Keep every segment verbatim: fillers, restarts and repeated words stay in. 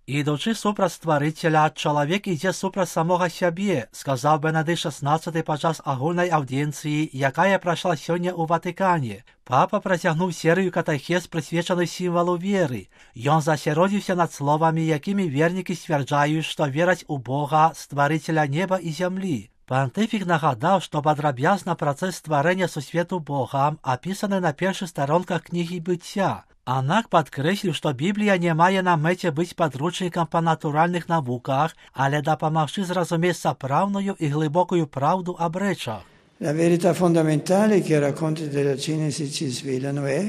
Ідучи супраць стварителя, чоловік іде супраць самого себе, сказав Бенедикт шістнадцятий падчас агульнай аўдіенцыі, якая прайшла сёння ў Ватыкане. Папа працягнуў серыю катэхез, прысвечаных сімвалу веры. Ён засяродзіўся над словамі, якімі вернікі сцвярджаюць, што вераць у Бога, стварителя неба і зямлі. Пантыфік нагадаў, што падрабязна працэс стварэння сусвету Богам апісаны на першых старонках кнігі быцця. Аднак падкрэсліў, што Біблія не мае на мэце быць падручнікам па натуральных навуках, але дапамагчы зразумець сапраўдную і глыбокую праўду аб рэчах. La verità fondamentale che i racconti della Genesi ci svelano è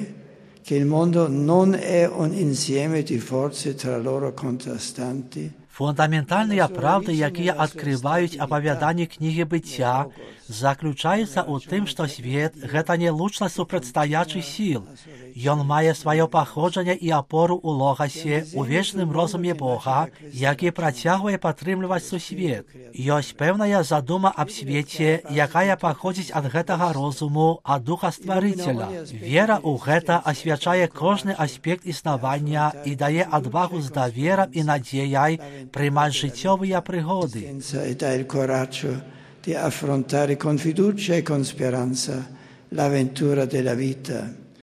che il mondo non è un insieme di forze tra loro contrastanti. Фундаментальныя правды, якія адкрываюць апавяданні кнігі быцця, заключаюцца ў тым, што свет – гэта не лучнасць супрацьстаячых сіл. Ён мае сваё паходжанне і апору ў логасе, у вечным розуме Бога, які працягвае падтрымліваць сусвет. Ёсць пэўная задума аб свеце, якая паходзіць ад гэтага розуму, ад духа стварыцеля. Вера ў гэта асвячае кожны аспект існавання і дае адвагу з даверам і надзеяй приймати життєві пригоди. E dà il coraggio di affrontare con fiducia e con speranza l'avventura della vita.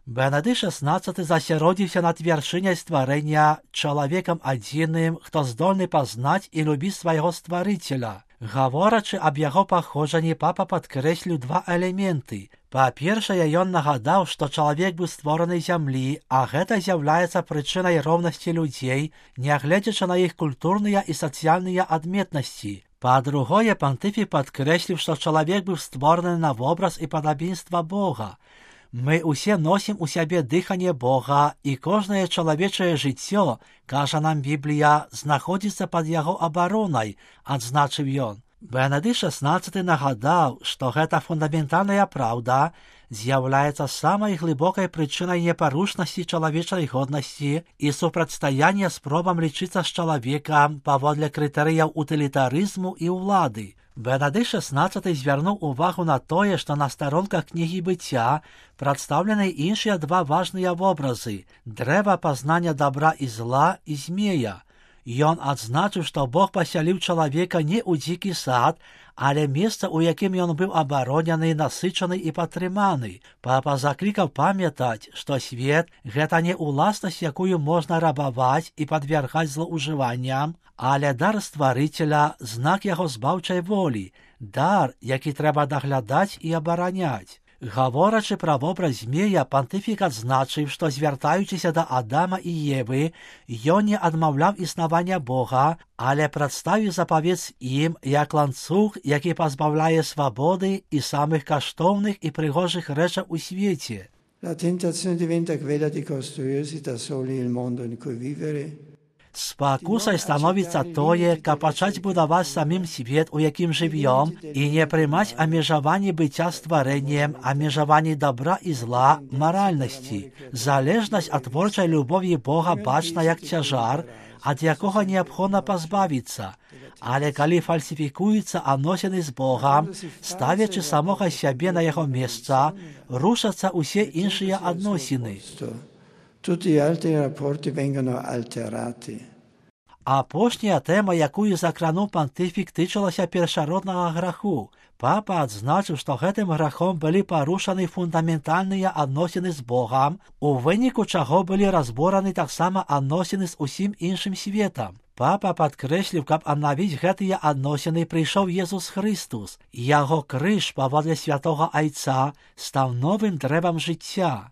Бенедикт шістнадцятий засяродзіўся над вяршыняй стварэння, чалавекам адзіным, хто здольны пазнаць і любіць свайго стварыцеля. Гаворачы аб яго паходжанні, папа падкрэсліў два элементы. Па-першае, ён нагадаў, што чалавек быў створаны зямлі, а гэта з'яўляецца прычынай роўнасці людзей, нягледзячы на іх культурныя і сацыяльныя адметнасці. Па-другое, пантыфік падкрэсліў, што чалавек быў створаны на вобраз і падабенства Бога. Мы ўсе носім у сябе дыханне Бога, і кожнае чалавечае жыццё, кажа нам Біблія, знаходзіцца пад яго абаронай, адзначыў ён. Бенедикт шістнадцятий нагадаў, што гэта фундаментальная праўда з'яўляецца самай глыбокай прычынай непарушнасці чалавечай годнасці і супрацьстаяння спробам лічыцца з чалавекам паводле крытэрыяў утылітарызму і ўлады. Бенедикт шістнадцятий звярнуў увагу на тое, што на старонках кнігі быцця прадстаўлены іншыя два важныя вобразы – дрэва пазнання дабра і зла і змея. Ён адзначыў, што Бог пасяліў чалавека не ў дзікі сад, але месца, у якім ён быў абаронены, насычаны і падтрыманы. Папа заклікаў памятаць, што свет – гэта не ўласнасць, якую можна рабаваць і падвяргаць злоўжыванням, але дар стварыцеля – знак яго збаўчай волі, дар, які трэба даглядаць і абараняць. Гаворачы пра вобраз змея, пантыфік адзначыў, што звяртаючыся да Адама і Евы, ён не адмаўляў існавання Бога, але прадставіў запавет ім як ланцуг, які пазбаўляе свабоды і самых каштоўных і прыгожых рэчаў у свеце. La tentazione diventa quella di costruirsi da soli il mondo in cui vivere. Спакусай становіцца тое, каб пачаць будаваць самім свет, у якім жывём, і не прымаць абмежаванні быцця стварэннем, абмежаванні дабра і зла, маральнасці. Залежнасць ад творчай любові Бога бачна як цяжар, ад якога неабходна пазбавіцца. Але калі фальсіфікуюцца адносіны з Богам, ставячы самога сябе на яго месца, рушацца ўсе іншыя адносіны. Tutti gli altri rapporti vengono alterati. Апошняя тэма, якую закрануў пантыфік, тычылася першароднага граху. Папа адзначыў, што гэтым грахом былі парушаны фундаментальныя адносіны з Богам, у выніку чаго былі разбораны таксама адносіны з усім іншым светам. Папа падкрэсліў, каб аднавіць гэтыя адносіны, прыйшоў Езус Хрыстус, і яго крыж паводле святога Айца стаў новым дрэвам жыцця.